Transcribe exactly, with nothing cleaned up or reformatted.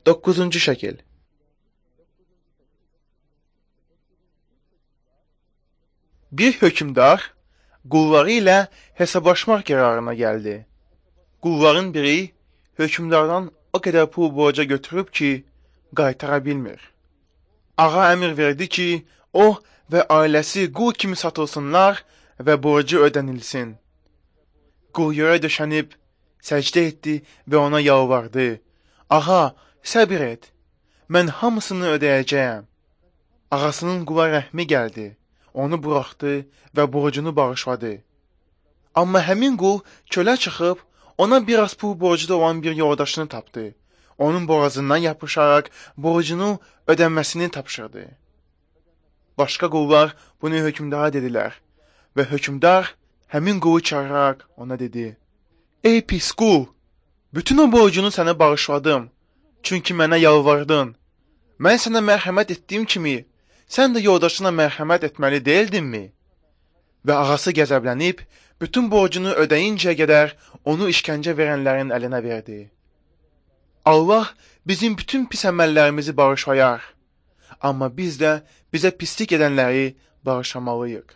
Doqquzuncu şəkil. Bir hökmdar qulları ilə hesablaşmaq qərarına gəldi. Qulların biri hökmdardan o qədər pul borca götürüb ki, qaytara bilmir. Ağa əmr verdi ki, o və ailəsi qul kimi satılsınlar və borcu ödənilsin. Qul yerə döşənib, səcdə etdi və ona yalvardı. Ağa, səbir et, mən hamısını ödəyəcəyəm. Ağasının qula rəhmi gəldi, onu buraxdı və borcunu bağışladı. Amma həmin qul çölə çıxıb, ona biraz pul borcu olan bir yoldaşını tapdı. Onun boğazından yapışaraq borcunu ödənməsini tapşırdı. Başqa qullar bunu hökmdara dedilər və hökmdar həmin qulu çağıraraq ona dedi: Ey pis qul, bütün o borcunu sənə bağışladım, çünki mənə yalvardın. Mən sənə mərhəmət etdiyim kimi, sən də yoldaşına mərhəmət etməli deyildinmi? Və ağası qəzəblənib, bütün borcunu ödeyincəyə qədər onu işkəncə verənlərin əlinə verdi. Allah bizim bütün pis əməllərimizi bağışlayar, amma biz də bizə pislik edənləri bağışlamalıyıq.